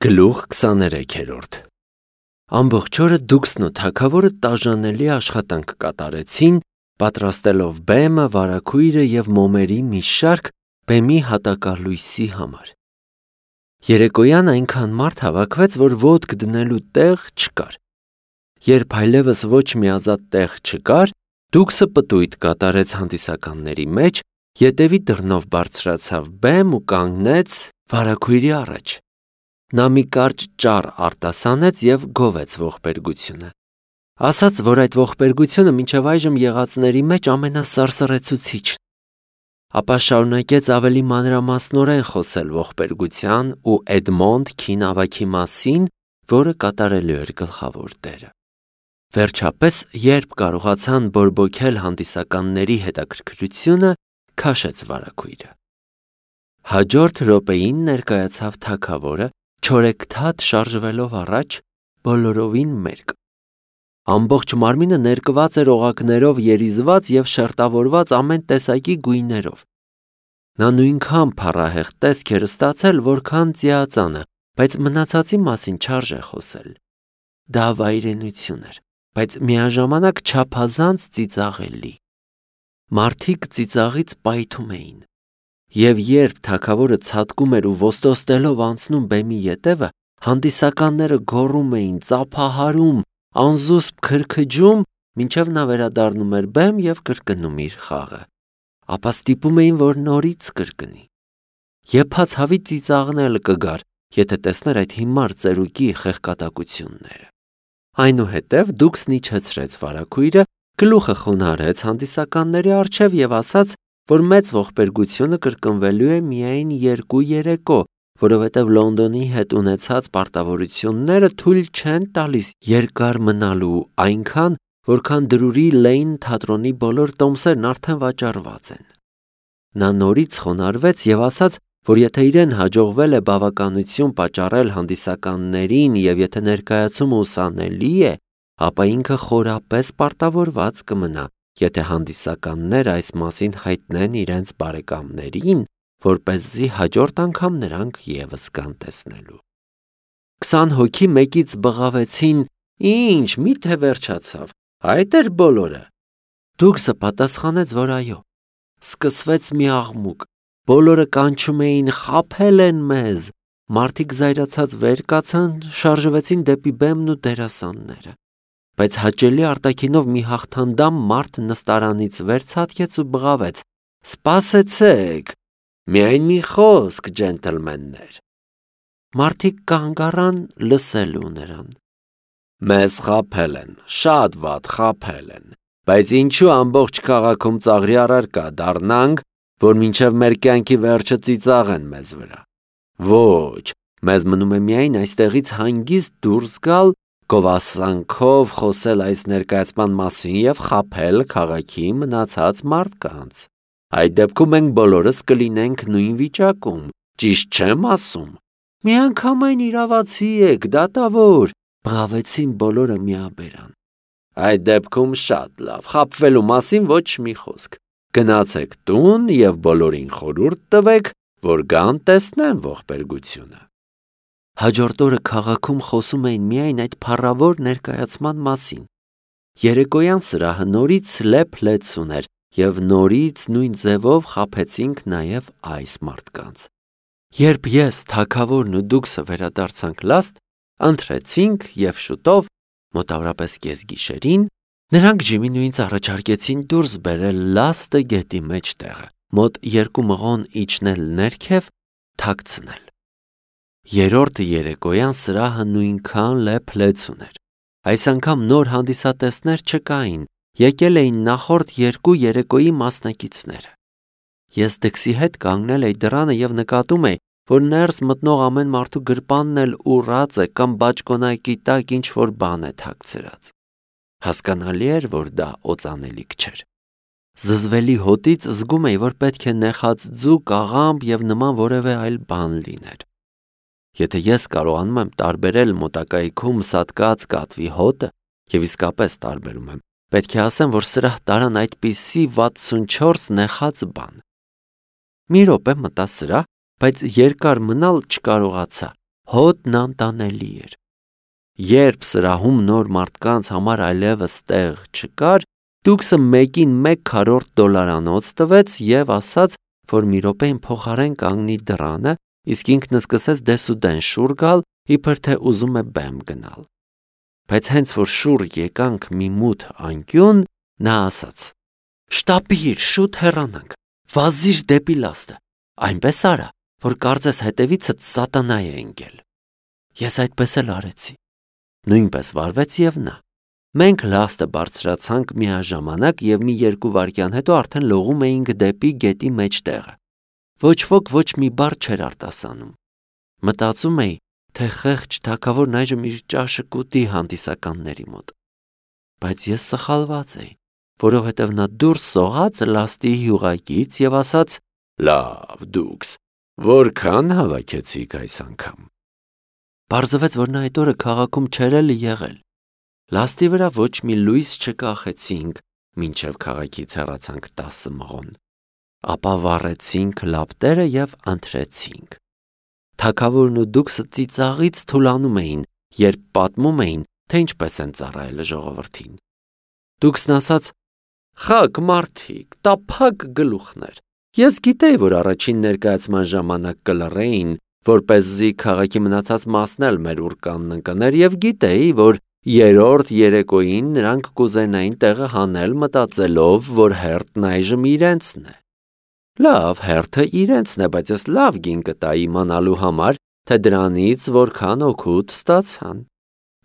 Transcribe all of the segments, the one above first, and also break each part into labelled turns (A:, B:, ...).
A: Գլուխ 23-րդ Ամբողջ օրը Դուքսն ու թագավորը տաժանելի աշխատանք կատարեցին, պատրաստելով բեմը, վարագույրը և մոմերի մի շարք բեմի հատակալույսի համար։ Երեկոյան այնքան մարդ հավաքվեց, որ ոտք դնելու տեղ չկար։ Երբ այլևս ոչ մի ազատ տեղ չկար, Դուքսը պտույտ կատարեց հանդիսականների մեջ, ետևի դռնով բարձրացավ բեմ ու կանգնեց վարագույրի առաջ։ Նա մի կարճ ճառ արտասանեց և գովեց ողբերգությունը։ Ասաց, որ այդ ողբերգությունը մինչև այժմ եղածների մեջ ամենասարսռեցուցիչն։ Ապա շարունակեց ավելի մանրամասնորեն խոսել ողբերգության ու Էդմոնդ քին ավագի մասին, որը կատարելու էր գլխավոր դերը։ Վերջապես, երբ կարողացան բորբոքել հանդիսականների հետաքրքրությունը, քաշեց վարագույրը։ Հաջորդ րոպեին ներկայացավ թագավորը, չորեքթաթ շարժվելով առաջ, բոլորովին մերկ։ Ամբողջ մարմինը ներկված էր օղակներով երիզված և շերտավորված ամեն տեսակի գույներով։ Նա նույնքան փառահեղ տեսք էր ստացել, որքան ծիածանը, բայց մնացածի մասին չարժե խոսել։ Դա վայրենություն էր, բայց միաժամանակ չափազանց ծիծաղելի։ Մարդիկ ծիծաղից պայթում էին։ Եվ երբ թագավորը ցատկում էր ու ոստոստելով անցնում բեմի ետևը, հանդիսականները գոռում էին, ծափահարում, անզուսպ քրքջում, մինչև նա վերադառնում էր բեմ և կրկնում իր խաղը, ապա ստիպում էին, որ նորից կրկնի։ Եփած հավի ծիծաղն էլ կգար, եթե տեսներ այդ հիմար ծերուկի խեղկատակությունները։ Այնուհետև Դուքսն իջեցրեց վարագույրը, գլուխը խոնարհեց հանդիսականների առջև և ասաց, որ մեծ ողբերգությունը կրկնվելու է միայն 2 երեկո, որովհետև Լոնդոնի հետ ունեցած պարտավորությունները թույլ չեն տալիս երկար մնալու, այնքան, որքան Դրուրի Լեյն թատրոնի բոլոր տոմսերն արդեն վաճառված են։ Նա նորից խոնարհվեց և ասաց, որ եթե իրեն հաջողվել է բավականություն պատճառել հանդիսականներին և եթե ներկայացումը ուսանելի է, ապա ինքը խորապես պարտավորված կմնա, եթե հանդիսականները այս մասին հայտնեն իրենց բարեկամներին, որպեսզի հաջորդ անգամ նրանք ևս գան տեսնելու։ 20 հոգի մեկից բղավեցին. «Ինչ, միթե վերջացավ, այդ էր բոլորը»։ Դուքսը պատասխանեց, որ այո։ Սկսվեց մի աղմուկ, բոլորը կանչում էին. «Խաբել են մեզ»։ Մարդիկ զայրացած վեր կացան, շարժվեցին դեպի բեմն ու դերասանները։ Բայց հաճելի արտաքինով մի հաղթանդամ մարդ նստարանից վեր ցատկեց ու բղավեց. «Սպասեցեք, միայն մի խոսք, ջենտլմեններ»։ Մարդիկ կանգ առան լսելու նրան։ «Մեզ խաբել են, շատ վատ խաբել են, բայց ինչու ամբողջ քաղաքում ծաղրի առարկա դառնանք, որ մինչև մեր կյանքի վերջը ծիծաղեն մեզ վրա։ Ոչ, մեզ մնում է միայն այստեղից հանգիստ դուրս գալ, գովասանքով խոսել այս ներկայացման մասին և խաբել քաղաքի մնացած մարդկանց։ Այդ դեպքում մենք բոլորս կլինենք նույն վիճակում, ճիշտ չեմ ասում։ Միանգամայն իրավացի եք, դատավոր, բղավեցին բոլորը միաբերան։ Այդ դեպքում շատ լավ, խաբվելու մասին ոչ մի խոսք։ Գնացեք տուն և բոլորին խորհուրդ տվեք, որ գան տեսնեն ողբերգությունը։ Հաջորդ օրը քաղաքում խոսում էին միայն այդ փառավոր ներկայացման մասին։ Երեկոյան սրահը նորից լեփ-լեցուն էր և նորից նույն ձևով խաբեցինք նաև այս մարդկանց։ Երբ ես, թագավորն ու Դուքսը վերադարձանք լաստ, ընթրեցինք և շուտով, մոտավորապես կեսգիշերին, նրանք Ջիմին ու ինձ առաջարկեցին դուրս բերել լաստը գետի մեջտեղը, մոտ 2 մղոն իջնել ներքև, թաքցնել։ Երրորդ երեկոյան սրահը նույնքան լեփ-լեցուն էր։ Այս անգամ նոր հանդիսատեսներ չկային, եկել էին նախորդ 2 երեկոյի մասնակիցները։ Ես Դքսի հետ կանգնել էի դռանը և նկատում էի, որ ներս մտնող ամեն մարդու գրպանն էլ ուռած է կամ բաճկոնակի տակ ինչ-որ բան է թաքցրած։ Հասկանալի էր, որ դա օծանելիք չէր։ Զզվելի հոտից զգում էի, որ պետք է նեխած ձուկ, աղամբ և նման որևէ այլ բան լիներ։ Եթե ես կարողանում եմ տարբերել մոտակայքում սատկած կատվի հոտը, և իսկապես տարբերում եմ, պետք է ասեմ, որ սրահ տարան այդպիսի 64 նեխած բան։ Մի րոպե մտա սրահ, բայց երկար մնալ չկարողացա, հոտն անտանելի էր։ Երբ սրահում նոր մարդկանց համար այլևս տեղ չկար, Դուքսը մեկին $1/4 տվեց և ասաց, որ մի րոպեին փոխարեն կանգնի դռանը, իսկ ինքն սկսեց դեսուդեն շուռ գալ, իբր թե ուզում է բեմ գնալ։ Բայց հենց որ շուռ եկանք մի մութ անկյուն, նա ասաց. «Շտապիր, շուտ հեռանանք, վազիր դեպի լաստը, այնպես արա, որ կարծես հետևիցդ սատանա է ընկել»։ Ես այդպես էլ արեցի։ Նույնպես վարվեց և նա։ Մենք լաստը բարձրացանք միաժամանակ և մի 2 վայրկյան հետո արդեն լողում էինք դեպի գետի մեջտեղը։ Ոչ ոք ոչ մի բառ չէր արտասանում։ Մտածում էի, թե խեղճ թագավորն այժմ իր ճաշը կուտի հանդիսականների մոտ։ Բայց ես սխալված էի, որովհետև նա դուրս սողաց լաստի յուղակից և ասաց. «Լավ, Դուքս, որքան հավաքեցիք այս անգամ»։ Պարզվեց, որ նա այդ օրը քաղաքում չէր էլ եղել։ Լաստի վրա ոչ մի լույս չկախեցինք, մինչև քաղաքից հեռացանք 10 մղոն։ Ապա վառեցինք լապտերը և ընթրեցինք։ Թագավորն ու Դուքսը ծիծաղից թուլանում էին, երբ պատմում էին, թե ինչպես են ծառայել ժողովրդին։ Դուքսն ասաց. «Խաք մարդիկ, տափակ գլուխներ։ Ես գիտեի, որ առաջին ներկայացման ժամանակ կլռեին, որպեսզի քաղաքի մնացած մասն էլ մեր ուռկանն ընկներ, և գիտեի, որ երրորդ երեկոյին նրանք կուզենային տեղը հանել, մտածելով, որ հերթն այժմ իրենցն է։ Լավ, հերթը իրենցն է, բայց ես լավ գին կտայի իմանալու համար, թե դրանից որքան օգուտ ստացան։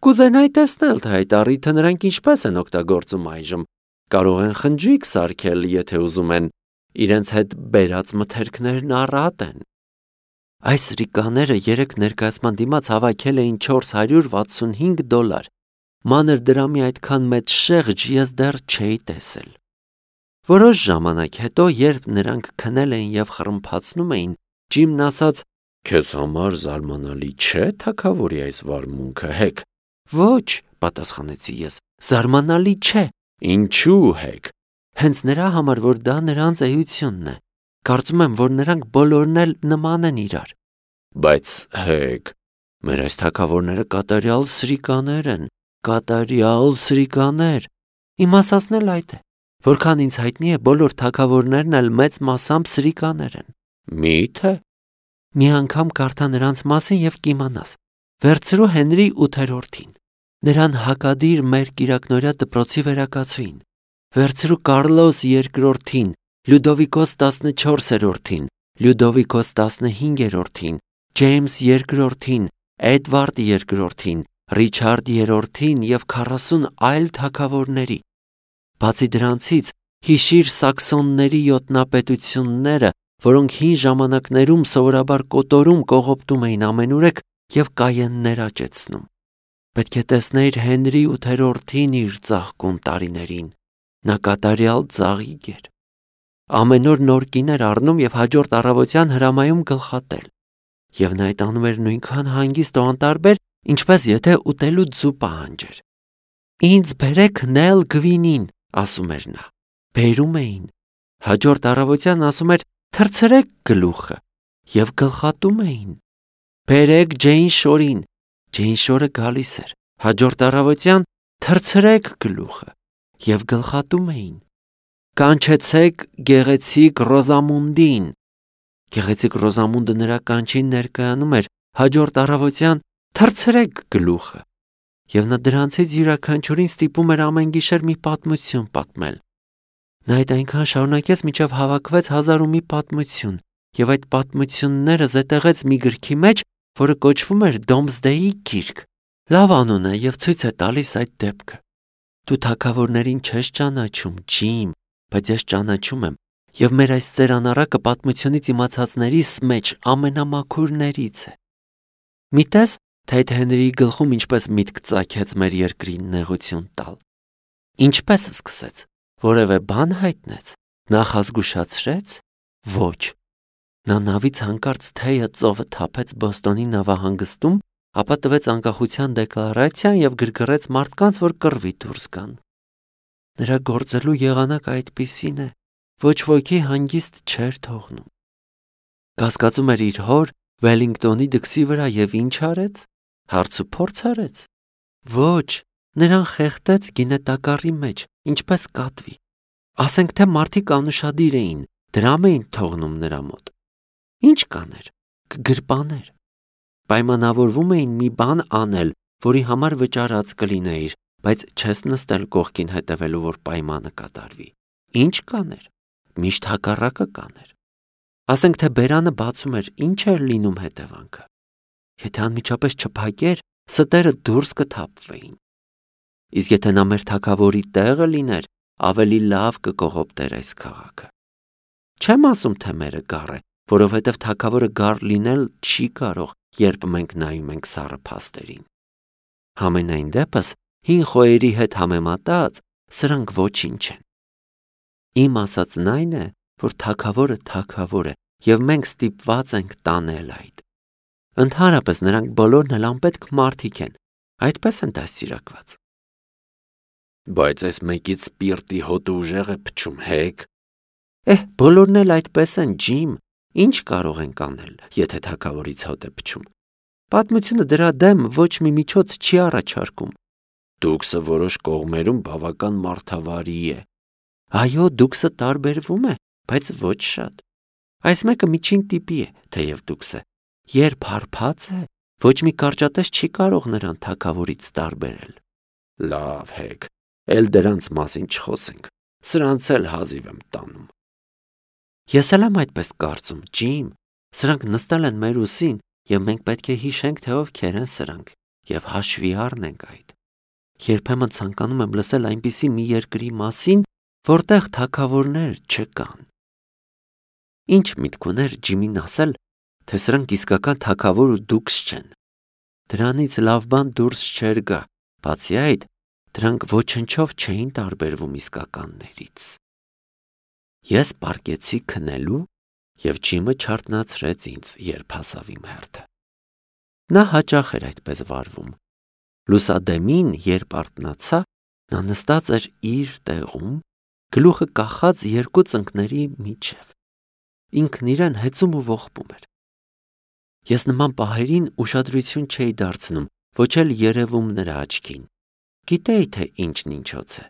A: Կուզենայի տեսնել, թե այդ առիթը նրանք ինչպես են օգտագործում այժմ։ Կարող են խնջույք սարքել, եթե ուզում են, իրենց հետ բերած մթերքներն առատ են։ Այս սրիկաները երեք ներկայացման դիմաց հավաքել էին $465։ Մանր դրամի այդքան մեծ շեղջ ես դեռ չէի տեսել։ Որոշ ժամանակ հետո, երբ նրանք քնել էին և խռմփացնում էին, Ջիմն ասաց. «Քեզ համար զարմանալի չէ թագավորի այս վարմունքը, Հեք»։ «Ոչ», պատասխանեցի ես, «զարմանալի չէ»։ «Ինչու, Հեք»։ Հենց նրա համար, որ դա նրանց էությունն է։ Կարծում եմ, որ նրանք բոլորն էլ նման են իրար։ Բայց, Հեք, մեր այս թագավորները կատարյալ սրիկաներ են, կատարյալ սրիկաներ։ Իմ ասածն էլ այդ է։ Որքան ինձ հայտնի է, բոլոր թագավորներն էլ մեծ մասամբ սրիկաներ են։ Մի՞թե։ Մի անգամ կարդա նրանց մասին և կիմանաս։ Վերցրու Հենրի 8-րդին, նրան հակադիր մեր կիրակնօրյա դպրոցի վերակացուին։ Վերցրու Կարլոս 2-րդին, Լյուդովիկոս 14-րդին, Լյուդովիկոս 15-րդին, Ջեյմս 2-րդին, Էդվարդ 2-րդին, Ռիչարդ 3-ին և 40 այլ թագավորների։ Բացի դրանցից, հիշիր սաքսոնների յոթնապետությունները, որոնք հին ժամանակներում սովորաբար կոտորում կողոպտում էին ամենուրեք և կայաններ աճեցնում։ Պետք է տեսնեիր Հենրի 8-րդին իր ծաղկուն տարիներին։ Նա կատարյալ ծաղիկ էր։ Ամեն օր նոր կին էր առնում և հաջորդ առավոտյան հրամայում գլխատել։ Եվ նա այդ անում էր նույնքան հանգիստ ու անտարբեր, ինչպես եթե ուտելու ձու պահանջեր։ «Ինձ բերեք Նել Գվինին», ասում էր նա։ Բերում էին։ Հաջորդ առավոտյան ասում էր. «Թռցրեք գլուխը» և գլխատում էին։ «Բերեք Ջեյն Շորին», Ջեյն Շորը գալիս էր։ Հաջորդ առավոտյան «Թռցրեք գլուխը» և գլխատում էին։ «Կանչեցեք գեղեցիկ Ռոզամունդին», Գեղեցիկ Ռոզամունդը նրա կանչին ներկայանում էր։ Հաջորդ առավոտյան «Թռցրեք գլուխը» և նա դրանցից յուրաքանչյուրին ստիպում էր ամեն գիշեր մի պատմություն պատմել։ Նա այդ այնքան շարունակեց, մինչև հավաքվեց 1001 պատմություն, և այդ պատմությունները զետեղեց մի գրքի մեջ, որը կոչվում էր Դոմսդեյի գիրք։ Լավ անուն է և ցույց է տալիս այդ դեպքը։ Դու թագավորներին չես ճանաչում, Ջիմ, բայց ես ճանաչում եմ, և մեր այս ծերանառակը պատմությունից իմացածներիս մեջ ամենամաքուրներից է։ Մի տես, թե այդ Հենրիի գլխում ինչպես միտք ծագեց մեր երկրին նեղություն տալ։ Ինչպես սկսեց։ Որևէ բան հայտնեց։ Նախազգուշացրեց։ Ոչ։ Նա նավից հանկարծ թեյը ծովը թափեց Բոստոնի նավահանգստում, ապա տվեց անկախության դեկլարացիան և գրգռեց մարդկանց, որ կռվի դուրս գան։ Նրա գործելու եղանակը այդպիսին է, ոչ ոքի հանգիստ չէր թողնում։ Կասկածում էր իր հոր Վելինգտոնի դքսի վրա եւ ինչ արեց։ Հարցուփորձ արեց։ Ոչ, նրան խեղդեց գինետակառի մեջ, ինչպես կատվի։ Ասենք թե մարդիկ անուշադիր էին, դրամ էին թողնում նրա մոտ։ Ինչ կաներ, կգրպաներ։ Պայմանավորվում էին մի բան անել, որի համար վճարած կլինեիր, բայց չես նստել կողքին հետևելու, որ պայմանը կատարվի։ Ինչ կաներ, միշտ հակառակը կաներ։ Ասենք թե բերանը բացում էր, ինչ էր լինում հետևանքը։ Եթե անմիջապես չփակեր, ստերը դուրս կթափվեին։ Իսկ եթե նա մեր թագավորի տեղը լիներ, ավելի լավ կկողոպտեր այս քաղաքը։ Չեմ ասում, թե մերը գառ է, որովհետև թագավորը գառ լինել չի կարող, երբ մենք նայում ենք սառը փաստերին։ Համենայն դեպս, հին խոյերի հետ համեմատած, սրանք ոչինչ են։ Իմ ասածն այն է, որ թագավորը թագավոր է, եւ մենք ստիպված ենք տանել այդ։ Ընդհանրապես նրանք բոլորն էլ անպետք մարդիկ են, այդպես են դաստիարակված։ Բայց այս մեկից սպիրտի հոտը ուժեղ է փչում, հեկ։ Բոլորն էլ այդպես են, Ջիմ, ինչ կարող ենք անել, եթե թագավորից հոտ է փչում։ Պատմությունը դրա դեմ ոչ մի միջոց չի առաջարկում։ Դուքսը որոշ կողմերում բավական մարդավարի է։ Այո, դուքսը տարբերվում է, բայց ոչ շատ։ Այս մեկը միջին տիպի է, թեև դուքսը։ Երբ հարբած է, ոչ մի կարճատես չի կարող նրան թագավորից տարբերել։ Լավ, հեկ, էլ դրանց մասին չխոսենք։ Սրանց էլ հազիվ եմ տանում։ Ես էլ եմ այդպես կարծում, Ջիմ։ Սրանք նստել են մեր ուսին, եւ մենք պետք է հիշենք, թե ովքեր են սրանք, եւ հաշվի առնենք այդ։ Երբեմն ցանկանում եմ լսել այնպիսի մի երկրի մասին, որտեղ թագավորներ չկան։ Ինչ միտք ուներ Ջիմին ասել, թե սրանք իսկական թագավոր ու դուքս չեն։ Դրանից լավ բան դուրս չէր գա, բացի այդ, դրանք ոչնչով չէին տարբերվում իսկականներից։ Ես պարկեցի քնելու, եւ Ջիմը չարտնացրեց ինձ, երբ հասավ իմ հերթը։ Նա հաճախ էր այդպես վարվում։ Լուսադեմին, երբ արթնացա, նա նստած էր իր տեղում, գլուխը կախած երկու ծնկների միջև։ Ինքն իրեն հեծում ու ողբում էր։ Ես նման պահերին ուշադրություն չէի դարձնում, ոչ էլ երևում նրա աչքին։ Գիտեի, թե ինչն ինչոց է։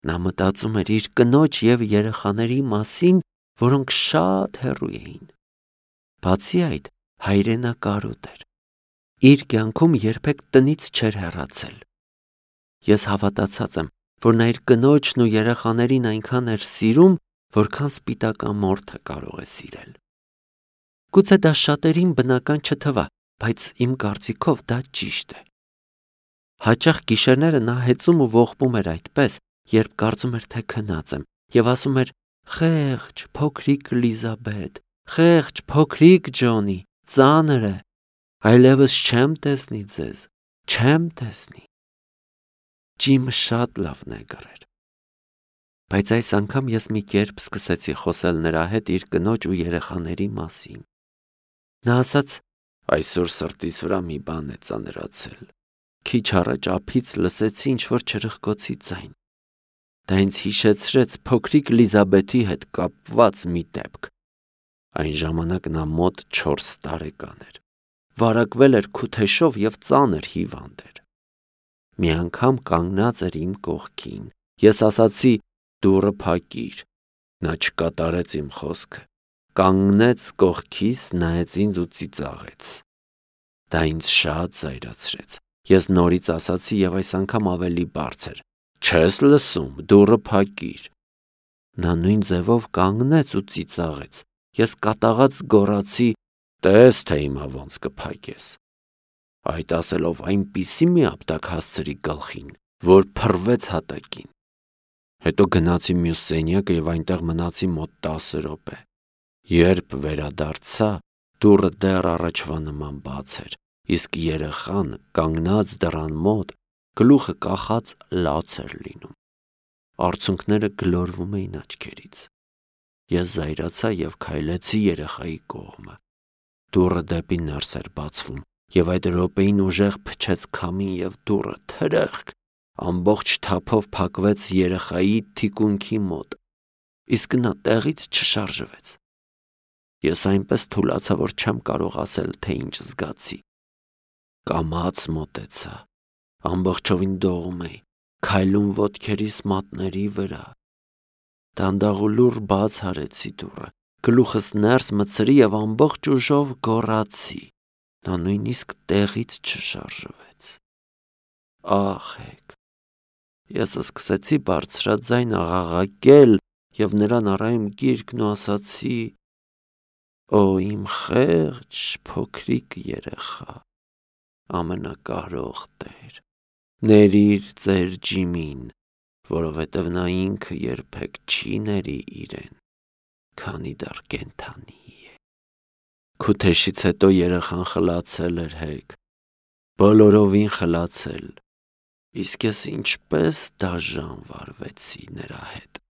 A: Նա մտածում էր իր կնոջ եւ երեխաների մասին, որոնք շատ հեռու էին։ Բացի այդ, հայրենակարոտ էր։ Իր կյանքում երբեք տնից չէր հեռացել։ Ես հավատացած եմ, որ նա իր կնոջն ու երեխաներին այնքան էր սիրում, որքան սպիտակամորթը կարող է սիրել։ Գուցե դա շատերին բնական չթվա, բայց իմ կարծիքով դա ճիշտ է։ Հաճախ գիշերները նա հեծում ու ողբում էր այդպես, երբ կարծում էր, թե քնած եմ, եւ ասում էր. «Խեղճ, փոքրիկ Լիզաբետ, խեղճ, փոքրիկ Ջոնի, ծանր է, այլևս չեմ տեսնի ձեզ, չեմ տեսնի»։ Ջիմը շատ լավ նեգր էր։ Բայց այս անգամ ես մի կերպ սկսեցի խոսել նրա հետ իր կնոջ ու երեխաների մասին։ Նա ասաց. «Այսօր սրտիս վրա մի բան է ծանրացել։ Քիչ առաջ ափից լսեցի ինչ-որ չրխկոցի ձայն։ Դա ինձ հիշեցրեց փոքրիկ Լիզաբեթի հետ կապված մի դեպք։ Այն ժամանակ նա մոտ 4 տարեկան էր։ Վարակվել էր քութեշով եւ ծանր հիվանդ էր։ Մի անգամ կանգնած էր իմ կողքին։ Ես ասացի. «Դուռը փակիր»։ Նա չկատարեց իմ խոսքը։ Կանգնեց կողքիս, նայեց ինձ ու ծիծաղեց։ Դա ինձ շատ զայրացրեց։ Ես նորից ասացի եւ այս անգամ ավելի բարձր. «Չես լսում, դուռը փակիր»։ Նա նույն ձևով կանգնեց ու ծիծաղեց։ Ես կատաղած գոռացի. «Տես, թե հիմա ոնց կփակես»։ Այդ ասելով այնպիսի մի ապտակ հասցրի գլխին, որ փռվեց հատակին։ Հետո գնացի մյուս սենյակը եւ այնտեղ մնացի մոտ 10 րոպե։ Երբ վերադարձա, դուռը դեռ առաջվա նման բաց էր, իսկ երեխան կանգնած դռան մոտ, գլուխը կախած լաց էր լինում։ Արցունքները գլորվում էին աչքերից։ Ես զայրացա եւ քայլեցի երեխայի կողմը։ Դուռը դեպի ներս էր բացվում, եւ այդ րոպեին ուժեղ փչեց քամին եւ դուռը թրախկ ամբողջ թափով փակվեց երեխայի թիկունքի մոտ, իսկ նա տեղից չշարժվեց։ Ես այնպես թուլացա, որ չեմ կարող ասել, թե ինչ զգացի։ Կամաց մոտեցա, ամբողջովին դողում էի, քայլում ոտքերիս մատների վրա։ Դանդաղ ու լուռ բաց արեցի դուռը, գլուխս ներս մտցրի և ամբողջ ուժով գոռացի։ Նա նույնիսկ տեղից չշարժվեց։ Ահեք։ Ես սկսեցի բարձրաձայն աղաղակել և նրան առա իմ գիրկն ու ասացի. «Օ իմ խեղճ փոքրիկ երեխա, ամենակարող Տեր, ներիր ծեր Ջիմին, որովհետև նա ինքը երբեք չի ների իրեն, քանի դեռ կենդանի է»։ Քութեշից հետո երեխան խլացել էր հեգ, բոլորովին խլացել, իսկ ես ինչպես դաժան վարվեցի նրա հետ։